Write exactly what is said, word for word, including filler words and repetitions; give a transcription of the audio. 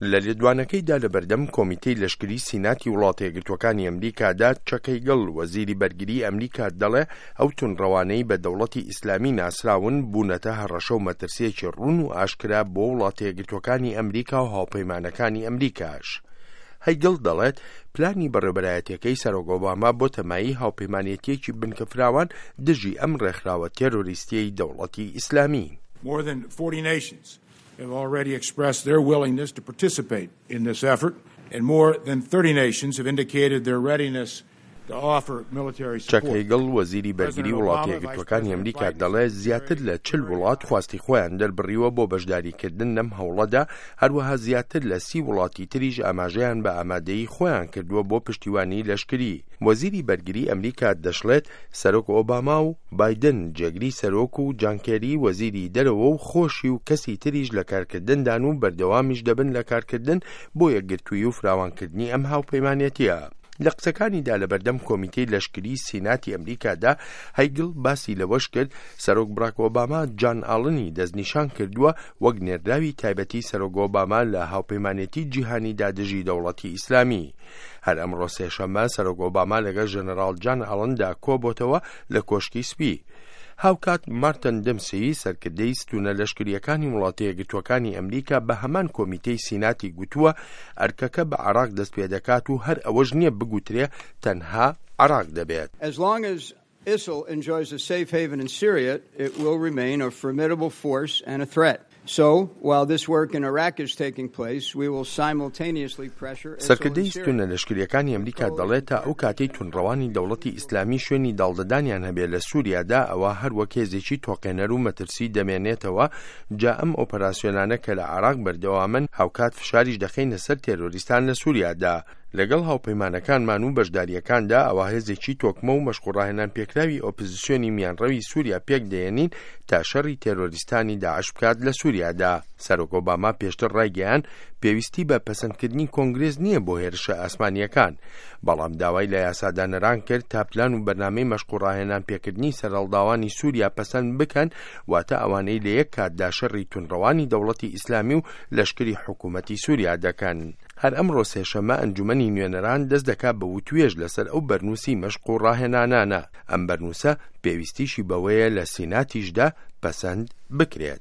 لە لێدوانەکەیدا لە بەردەم کۆمیتەی لەشکری سیناتی وڵاتە یەکگرتووەکانی ئەمریکادا، چەک هەیگڵ، وەزیری بەرگری ئەمریکا دەڵێ ئەو توندڕەوانەی بە دەوڵەتی ئیسلامی ناسراون بوونەتە هەڕەشە و مەترسییەکی ڕوون و ئاشکرا بۆ وڵاتە یەکگرتووەکانی ئەمریکا و هاوپەیمانەکانی ئەمریکاش. هەیگڵ دەڵێت پلانی بەڕێوبەرایەتیەکەی سەرۆک ئۆباما بۆ تەمایی هاوپەیمانێتیەکی بنکەفراوان دژی ئەم ڕێکخراوە تێرۆریستیەی دەوڵەتی ئیسلامی. More than forty nations have already expressed their willingness to participate in this effort, and more than thirty nations have indicated their readiness to offer military چەک support. هەیگڵ، وەزیری بەرگری وڵاتە یەکگرتووەکانی ئەمریکا دەڵێ زیاتر لە چل وڵات خواستی خۆیان دەربڕیوە بۆ بەشداریکردن لەم هەوڵەدا، هەروەها زیاتر لە سی وڵاتی تریش ئاماژەیان بە ئامادەیی خۆیان کردووە بۆ پشتیوانی لەشکری. وەزیری بەرگری ئەمریکا دەشڵێت سەرۆک ئۆباما و بایدن جێگری سەرۆک و جان کێری وەزیری دەرەوە و خۆشی و کەسی تریش لە کارکردندان و بەردەوامیش دەبن لە کارکردن بۆ یەکگرتوویی و فراوانکردنی ئەم هاوپەیمانێتیە. لە قسەکانیدا لە بەردەم کۆمیتەی لەشکری سیناتی ئەمریکادا، هەیگڵ باسی لەوەش کرد سەرۆک براک ئۆباما جان ئاڵنی دەستنیشان کردووە وەک نێردراوی تایبەتی سەرۆک ئۆباما لە هاوپەیمانێتی جیهانیدا دژی دەوڵەتی ئیسلامی. هەر ئەمڕۆ سێشەممە سەرۆک ئۆباما لەگەڵ ژەنەراڵ جان ئاڵندا کۆبۆتەوە لە کۆشکی سپی. هاوکات مارتن دمسی، سەرکردەی ستونە لەشکریەکانی وڵاتە یەکگرتووەکانی ئەمریکا، بە هەمان کۆمیتەی سیناتی گوتووە ئەرکەکە بە عراق دەست پێدەکات و هەر ئەوەش نییە بگوترێ تەنها عراق دەبێت. As long as I S I L enjoys a safe haven in Syria, it will remain a formidable force and a threat. So, while this work in Iraq is taking place, we will simultaneously pressure I S I L in سەرکردەی Syria. ستونە لەشکریەکانی ئەمریکا دەڵێت تا ئەو کاتەی توندڕەوانی دەوڵەتی ئیسلامی شوێنی داڵدەدانیان هەبێت لە سووریادا، ئەوە هەر وەک هێزێکی تۆقێنەر و مەترسی دەمێنێتەوە. جا ئەم ئۆپەراسیۆنانە کە لە عراق بەردەوامن، هاوکات فشاریش دەخەینە سەر تێرۆریستان لە سووریادا. لەگەڵ هاوپەیمانەکانمان و بەشداریەکاندا ئەوە هێزێکی تۆکمە و مەشق و ڕاهێنان پێکراوی ئۆپۆزیسیۆنی میانڕەوی سووریا پێک دێنین تا شەڕی تێرۆریستانی داعش بکات لە سووریادا. سەرۆک ئۆباما پێشتر ڕایگەیان پێویستی بە پەسەندکردنی کۆنگرێس نییە بۆ هێرشە ئاسمانیەکان، بەڵام داوای لە یاسادانەران کرد تا پلان و بەرنامەی مەشق و ڕاهێنان پێکردنی سەرهەڵداوانی سووریا پەسەند بکەن، واتە ئەوانەی لە یەک کاتدا شەڕی توندڕەوانی دەوڵەتی ئیسلامی و لەشکری حکوومەتی سووریا دەکەن. هەر ئەمڕۆ سێشەممە ئەنجومەنی نوێنەران دەست دەکات بە وتوێژ لەسەر ئەو بەرنووسی مەشق و ڕاهێنانانە. ئەم بەرنووسە پێویستیشی بەوەیە لە سیناتیشدا پەسەند بکرێت.